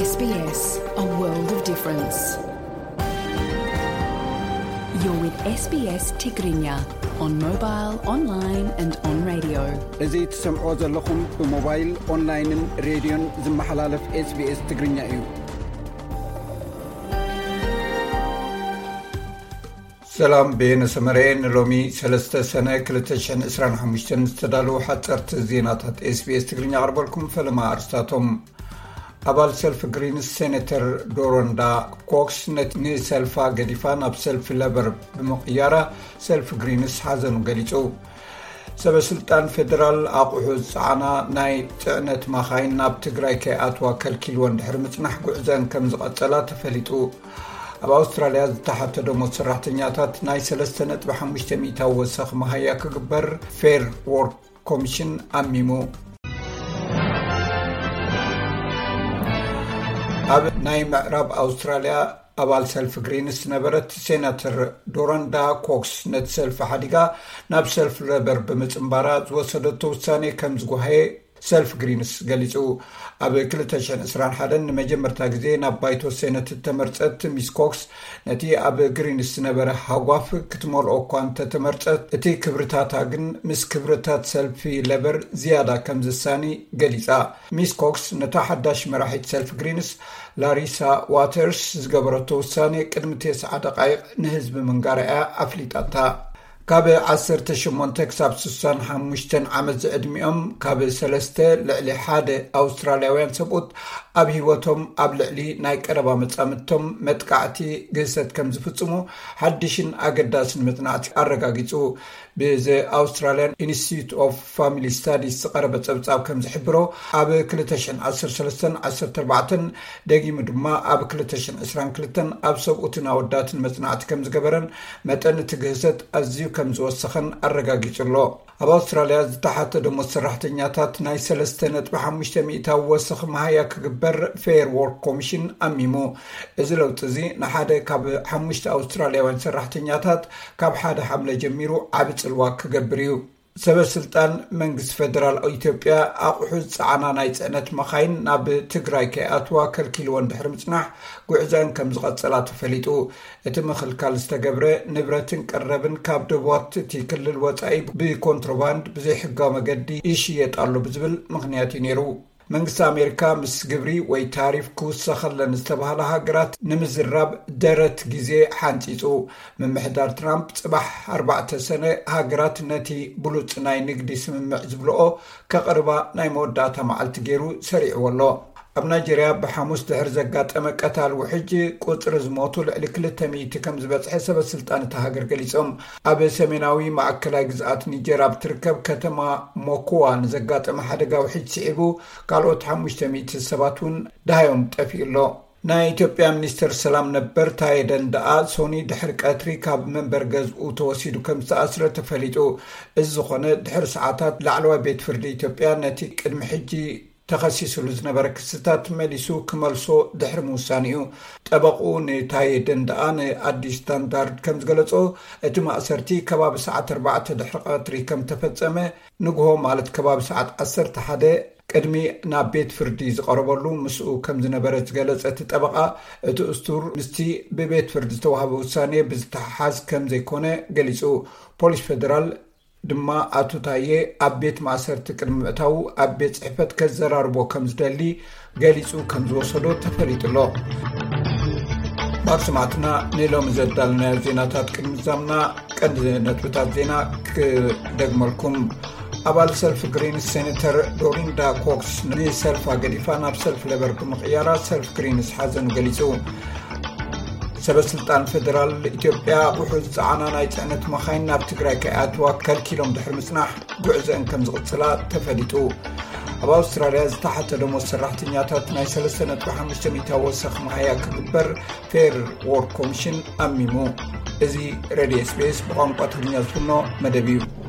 S B S, a world of difference. You're with S B S Tigrinya on mobile, online and on radio. እዚ ትሰምዖ ዘለኹም ብሞባይል፣ ኦንላይንን ሬድዮን ዝመሓላለፍ SBS ትግርኛ እዩ። ሰላም፣ በየነ ሰመረ። ንሎሚ ሰለስተ ሰነ ክልተ ሽሕን ዕስራን ሓሙሽተን ዝተዳለዉ ሓጸርቲ ዜናታት SBS ትግርኛ ኣቕርበልኩም። ፈለማ ኣርስታቶም። ኣባል ሰልፊ ግሪንስ ሴኔተር ዶሮንዳ ኮክስ ነቲ ንሰልፋ ገዲፋ ናብ ሰልፊ ለበር ብምቕያራ፣ ሰልፊ ግሪንስ ሓዘኑ ገሊጹ። ሰበ ስልጣን ፌደራል ኣቑሑ ዝጸዓና ናይ ጽዕነት ማኻይን ናብ ትግራይ ከይኣትዋ ከልኪልወን ድሕሪ ምጽናሕ፣ ጉዕዘን ከም ዝቐጸላ ተፈሊጡ። ኣብ ኣውስትራልያ ዝተሓተ ደሞዝ ሰራሕተኛታት ናይ ሰለስተ ነጥቢ ሓሙሽተ ሚእታዊ ወሰኽ መሃያ ክግበር ፌር ዎርክ ኮሚሽን ኣሚሙ። ኣብ ናይ ምዕራብ ኣውስትራልያ ኣባል ሰልፊ ግሪንስ ዝነበረት ሴናተር ዶረንዳ ኮክስ፣ ነቲ ሰልፊ ሓዲጋ ናብ ሰልፊ ለበር ብምጽንባራ ዝወሰደቶ ውሳኔ ከም ዝጓሃየ ሰልፊ ግሪንስ ገሊጹ። ኣብ ክልተ ሽሕን ዕስራን ሓደን ንመጀመርታ ግዜ ናብ ባይቶ ሴነት እተመርጸት ሚስ ኮክስ፣ ነቲ ኣብ ግሪንስ ዝነበረ ሃጓፍ ክትመልኦ እኳ እንተተመርጸት፣ እቲ ክብርታታ ግን ምስ ክብርታት ሰልፊ ለበር ዝያዳ ከም ዝሳኒ ገሊጻ። ሚስ ኮክስ ነታ ሓዳሽ መራሒት ሰልፊ ግሪንስ ላሪሳ ዋተርስ ዝገበረቶ ውሳኔ ቅድሚ ተስዓ ደቓይቕ ንህዝቢ ምንጋራ እያ ኣፍሊጣታ። ካብ ዓሰርተ ሸሞንተ ክሳብ ስሳን ሓሙሽተን ዓመት ዝዕድሚኦም ካብ ሰለስተ ልዕሊ ሓደ ኣውስትራልያውያን ሰብኡት ኣብ ህይወቶም ኣብ ልዕሊ ናይ ቀረባ መጻምድቶም መጥቃዕቲ ግህሰት ከም ዝፍጽሙ ሓድሽን ኣገዳስን መጽናዕቲ ኣረጋጊጹ። ብዘ ኣውስትራልያን ኢንስቲትዩት ኦፍ ፋሚሊ ስታዲስ ዝቐረበ ጸብጻብ ከም ዝሕብሮ፣ ኣብ ክልተ ሽሕን ዓሰርተ ሰለስተን ዓሰርተ ኣርባዕተን ደጊሙ ድማ ኣብ ክልተ ሽሕን ዕስራን ክልተን ኣብ ሰብኡትን ኣወዳትን መጽናዕቲ ከም ዝገበረን መጠን እቲ ግህሰት ኣዝዩ ከም ዝወሰኸን ኣረጋጊጹ ኣሎ። ኣብ ኣውስትራልያ ዝተሓተ ደሞዝ ሰራሕተኛታት ናይ ሰለስተ ነጥቢ ሓሙሽተ ሚእታዊ ወሰኽ መሃያ ክግበር ፌር ዎርክ ኮሚሽን ኣሚሙ። እዚ ለውጢ እዚ ንሓደ ካብ ሓሙሽተ ኣውስትራልያውያን ሰራሕተኛታት ካብ ሓደ ሓምለ ጀሚሩ ዓቢ ጽልዋ ክገብር እዩ። ሰበ ስልጣን መንግስቲ ፌደራል ኢትዮጵያ ኣቑሑ ዝጸዓና ናይ ጽዕነት መኻይን ናብ ትግራይ ከይኣትዋ ከልኪልወን ድሕሪ ምጽናሕ፣ ጉዕዘአን ከም ዝቐጸላ ተፈሊጡ። እቲ ምኽልካል ዝተገብረ፣ ንብረትን ቀረብን ካብ ደቡባት እቲ ክልል ወጻኢ ብኮንትሮባንድ ብዘይሕጋዊ መገዲ ይሽየጥ ኣሎ ብዝብል ምኽንያት እዩ ነይሩ። መንግስቲ ኣሜሪካ ምስ ግብሪ ወይ ታሪፍ ክውሰኸለን ዝተባህላ ሃገራት ንምዝራብ ደረት ግዜ ሓንጺጹ። ምምሕዳር ትራምፕ ጽባሕ ኣርባዕተ ሰነ ሃገራት ነቲ ብሉጽ ናይ ንግዲ ስምምዕ ዝብልኦ ከቕርባ ናይ መወዳእታ መዓልቲ ገይሩ ሰሪዕዎ ኣሎ። ኣብ ናይጀርያ ብሓሙስ ድሕሪ ዘጋጠመ ቀታል ውሕጅ፣ ቁጽሪ ዝሞቱ ልዕሊ ክልተ ሚእቲ ከም ዝበጽሐ ሰበ ስልጣን እታ ሃገር ገሊጾም። ኣብ ሰሜናዊ ማእከላይ ግዝኣት ኒጀር ኣብ ትርከብ ከተማ ሞኩዋ ንዘጋጠመ ሓደጋ ውሕጅ ስዒቡ፣ ካልኦት ሓሙሽተ ሚእቲ ሰባት እውን ደሃዮም ጠፊኡ ኣሎ። ናይ ኢትዮጵያ ሚኒስተር ሰላም ነበር ታየ ደንደኣ፣ ሶኒ ድሕሪ ቀትሪ ካብ መንበር ገዝኡ ተወሲዱ ከም ዝተኣስረ ተፈሊጡ። እዚ ዝኾነ፣ ድሕሪ ሰዓታት ላዕለዋይ ቤት ፍርዲ ኢትዮጵያ ነቲ ቅድሚ ሕጂ ተኸሲስሉ ዝነበረ ክስታት መሊሱ ክመልሶ ድሕሪ ምውሳኑ እዩ። ጠበቕኡ ንታየ ደንደኣ ንኣዲስ ስታንዳርድ ከም ዝገለጾ፣ እቲ ማእሰርቲ ከባቢ ሰዓት ኣርባዕተ ድሕሪ ቀትሪ ከም ተፈጸመ፣ ንግሆ ማለት ከባቢ ሰዓት ዓሰርተ ሓደ ቅድሚ ናብ ቤት ፍርዲ ዝቐረበሉ ምስኡ ከም ዝነበረ ዝገለጸ እቲ ጠበቓ፣ እቲ እሱር ምስቲ ብቤት ፍርዲ ዝተዋህበ ውሳኔ ብዝተሓሓዝ ከም ዘይኮነ ገሊጹ። ፖሊስ ፌደራል ድማ ኣቶ ታየ ኣብ ቤት ማእሰርቲ ቅድሚ ምእታዉ ኣብ ቤት ጽሕፈት ከዘራርቦ ከም ዝደሊ ገሊጹ ከም ዝወሰዶ ተፈሊጡ ኣሎ። ባር ሰማዕትና፣ ንሎሚ ዘዳለናዮ ዜናታት ቅድሚ ምዛምና ቀንዲ ነጥብታት ዜና ክደግመልኩም። ኣባል ሰልፊ ግሪንስ ሴኔተር ዶሪንዳ ኮክስ ንሰልፋ ገዲፋ ናብ ሰልፊ ሌበር ብምቕያራ፣ ሰልፊ ግሪንስ ሓዘኑ ገሊጹ። ሰበ ስልጣን ፌደራል ኢትዮጵያ ኣቑሑ ዝጸዓና ናይ ጽዕነት መኻይን ናብ ትግራይ ከይኣትዋ ከልኪሎም ድሕሪ ምጽናሕ፣ ጉዕዘአን ከም ዝቕጽላ ተፈሊጡ። ኣብ ኣውስትራልያ ዝተሓተ ደሞዝ ሰራሕተኛታት ናይ ሰለስተ ነጥቢ ሓሙሽተ ሚእታዊ ወሰኽ መሃያ ክግበር ፌር ዎርክ ኮሚሽን ኣሚሙ። እዚ ሬድዮ SBS ብቋንቋ ትግርኛ ዝፍኖ መደብ እዩ።